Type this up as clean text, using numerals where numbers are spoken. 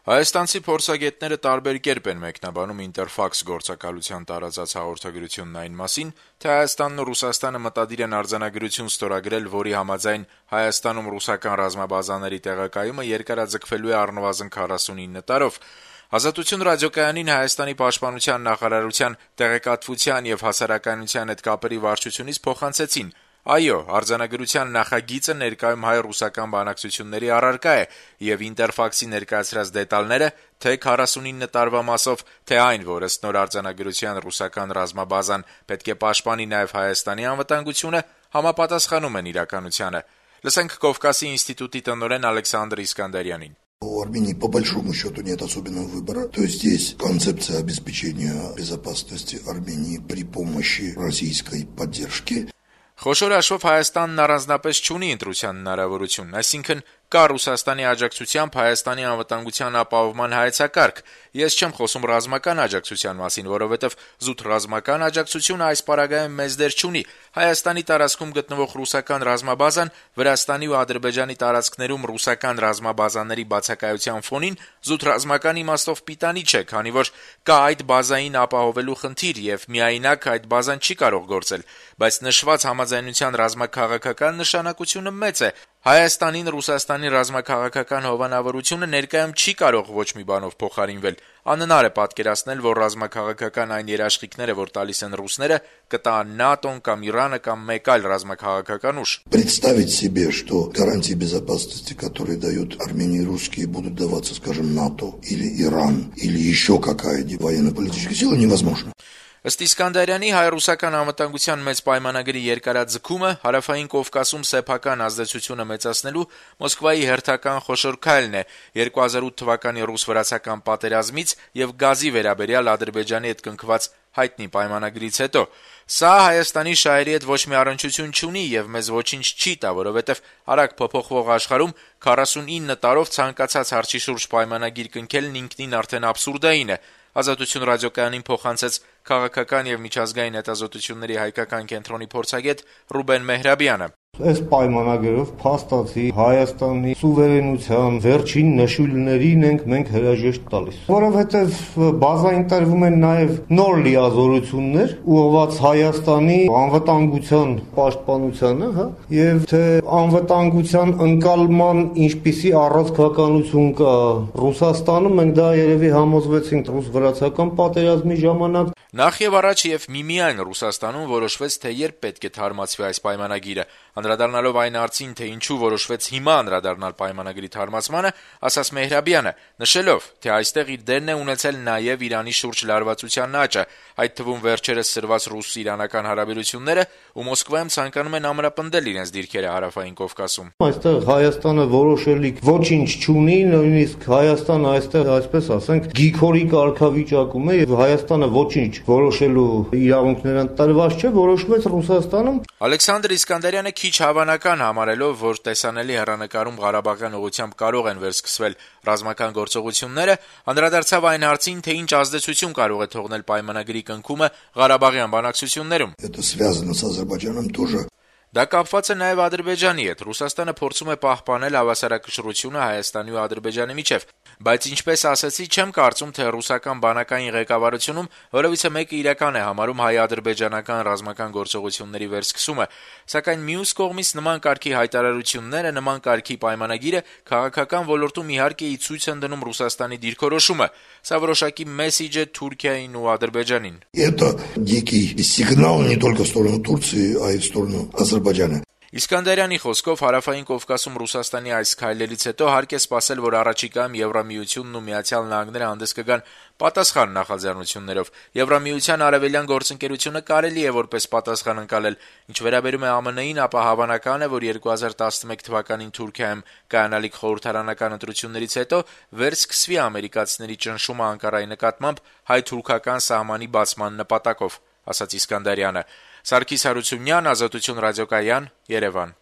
Հայաստանցի փորձագետները տարբեր կերպ են մեկնաբանում Ինտերֆաքս գործակալության տարածած հաղորդագրությունն այն մասին, թե Հայաստանն ու Ռուսաստանը մտադիր են արձանագրություն ստորագրել, որի համաձայն Հայաստանում ռուսական ռազմաբազաների տեղակայումը երկարաձգվելու է առնվազն 49 տարով։ «Ազատություն» ռադիոկայանին Հայաստանի պաշտպանության նախարարության տեղեկատվության եւ հասարակայնության հետ կապերի վարչությունից փոխանցեցին. «Այո, արձանագրության նախագիծը ներկայում հայ-ռուսական բանակցությունների առարկա է, եւ Ինտերֆաքսի ներկայացրած դետալները, թե 49 տարվա մասով, թե այն, որ ըստ նոր արձանագրության ռուսական ռազմաբազան պետք է պաշտպանի նաեւ Հայաստանի անվտանգությունը, համապատասխանում են իրականությանը»։ Լսենք Կովկասի ինստիտուտի տնօրեն Ալեքսանդր Իսկանդարյանին. У Армении по большому счету нет особенного выбора. То есть здесь концепция обеспечения безопасности Армении при помощи российской поддержки. Խոշոր հաշվով Հայաստանն առանձնապես չունի ընտրության հնարավորություն, այսինքն կա Ռուսաստանի աջակցությամբ Հայաստանի անվտանգության ապահովման հայեցակարգ։ Ես չեմ խոսում ռազմական աջակցության մասին, որովհետև զուտ ռազմական աջակցությունը այս պարագայում մեծ դեր չունի։ Հայաստանի տարածքում գտնվող ռուսական ռազմաբազան Վրաստանի ու Ադրբեջանի տարածքներում ռուսական ռազմաբազաների բացակայության ֆոնին զուտ ռազմական իմաստով պիտանի չէ, քանի որ կա այդ բազային ապահովելու խնդիր եւ միայնակ այդ բազան չի կարող գործել, բայց նշված համաձայնության ռազմաքաղաքական նշանակությունը մեծ է։ Հայաստանին Ռուսաստանի ռազմաքաղաքական հովանավորությունը ներկայում չի կարող ոչ մի բանով փոխարինվել։ Անհնար է պատկերացնել, որ ռազմաքաղաքական այն երաշխիքները, որ տալիս են ռուսները, կտա ՆԱՏՕ-ն կամ Իրանը կամ մեկ այլ ռազմաքաղաքական ուժ։ Представить себе, что гарантии безопасности, которые дают Армении русские, будут даваться, скажем, НАТО или Иран, или еще какая-нибудь военно-политическая сила, невозможно. Ըստ Իսկանդարյանի, հայ-ռուսական անվտանգության մեծ պայմանագրի երկարաձգումը հարավային Կովկասում սեփական ազդեցությունը մեծացնելու Մոսկվայի հերթական խոշոր քայլն է 2008 թվականի ռուս-վրացական պատերազմից եւ գազի վերաբերյալ Ադրբեջանի հետ կնքված հայտնի պայմանագրից հետո։ Սա Հայաստանի շահերի հետ ոչ մի առնչություն չունի եւ մեզ ոչինչ չի տա, որովհետեւ արագ փոփոխվող աշխարհում 49 տարով ցանկացած հարցի շուրջ պայմանագիր կնքելն ինքնին արդեն աբսուրդային է։ Ազատություն ռադիոկայանին փոխանցեց քաղաքական եւ միջազգային հետազոտությունների հայկական կենտրոնի փորձագետ Ռուբեն Մեհրաբյանը։ Այս պայմանագրով փաստացի Հայաստանի սուվերենության վերջին նշույլներին ենք մենք հրաժեշտ տալիս, որովհետև բազային տրվում են նաև նոր լիազորություններ ուղղված Հայաստանի անվտանգության պաշտպանությանը, եւ թե անվտանգության ընկալման ինչպիսի առանցքականություն կա Ռուսաստանում, մենք դա երևի համոզվեցինք ռուս-վրացական պատերազմի ժամանակ։ Նախ եւ առաջ եւ միմիայն Ռուսաստանում որոշվեց, թե երբ պետք է թարմացվի այս պայմանագիրը։ Անդրադառնալով այն հարցին, թե ինչու որոշվեց հիմա անդրադառնալ պայմանագրի թարմացմանը, ասաց Մեհրաբյանը, նշելով, թե այստեղ իր դերն է ունեցել նաեւ Իրանի շուրջ լարվածության աճը, այդ թվում վերջերս սրված ռուս-իրանական հարաբերությունները, ու Մոսկվայում ցանկանում են ամրապնդել իրենց դիրքերը հարավային Կովկասում։ Այստեղ Հայաստանը որոշելիք ոչինչ չունի, նույնիսկ Հայաստանը այստեղ, այսպես ասենք, գիքորի կարգավիճակում է եւ Հայաստանը ոչինչ որոշելու իրավունքներ ընտրված չէ, որոշվեց Ռուսաստանում։ Ալեքսանդր Իսկանդարյանը քիչ հավանական համարելով, որ տեսանելի հեռանկարում Ղարաբաղյան ուղղությամբ կարող են վերսկսվել ռազմական գործողությունները, անդրադարձավ այն հարցին, թե ինչ ազդեցություն կարող է թողնել պայմանագրի կնքումը Ղարաբաղյան բանակցություններում։ Это связано с Азербайджаном тоже. Դա կապված է նաև Ադրբեջանի հետ։ Ռուսաստանը փորձում է պահպանել հավասարակշռությունը Հայաստանի ու Ադրբեջանի միջև, բայց ինչպես ասացի, չեմ կարծում, թե ռուսական բանակային ղեկավարությունում որևիցե մեկը իրական է համարում հայ-ադրբեջանական ռազմական գործողությունների վերսկսումը, սակայն մյուս կողմից նման կարգի հայտարարությունները, նման կարգի պայմանագիրը քաղաքական ոլորտում իհարկե ի ցույց են դնում Ռուսաստանի դիրքորոշումը։ Սա որոշակի մեսիջ է Թուրքիային ու Ադրբեջանին։ Это дикий сигнал не только в сторону Турции, а и в сторону Азербайджана. Իսկանդարյանի խոսքով հարավային Կովկասում Ռուսաստանի այս քայլերից հետո հարկ է սպասել, որ առաջիկայում Եվրամիությունն ու Միացյալ Նահանգները հանդես կգան պատասխան նախաձեռնություններով։ Եվրամիության արևելյան գործընկերությունը կարելի է որպես պատասխան ընկալել։ Ինչ վերաբերում է ԱՄՆ-ին, ապա հավանական է, որ 2011 թվականին Թուրքիայում կայանալիք խորհրդարանական ընտրություններից հետո վերսկսվի ամերիկացիների ճնշումը Անկարայի նկատմամբ հայ-թուրքական սահմանի բացման նպատակով, ասաց Իսկանդարյանը։ Սարգիս Հարությունյան, Ազատություն ռադիոկայան, Երևան։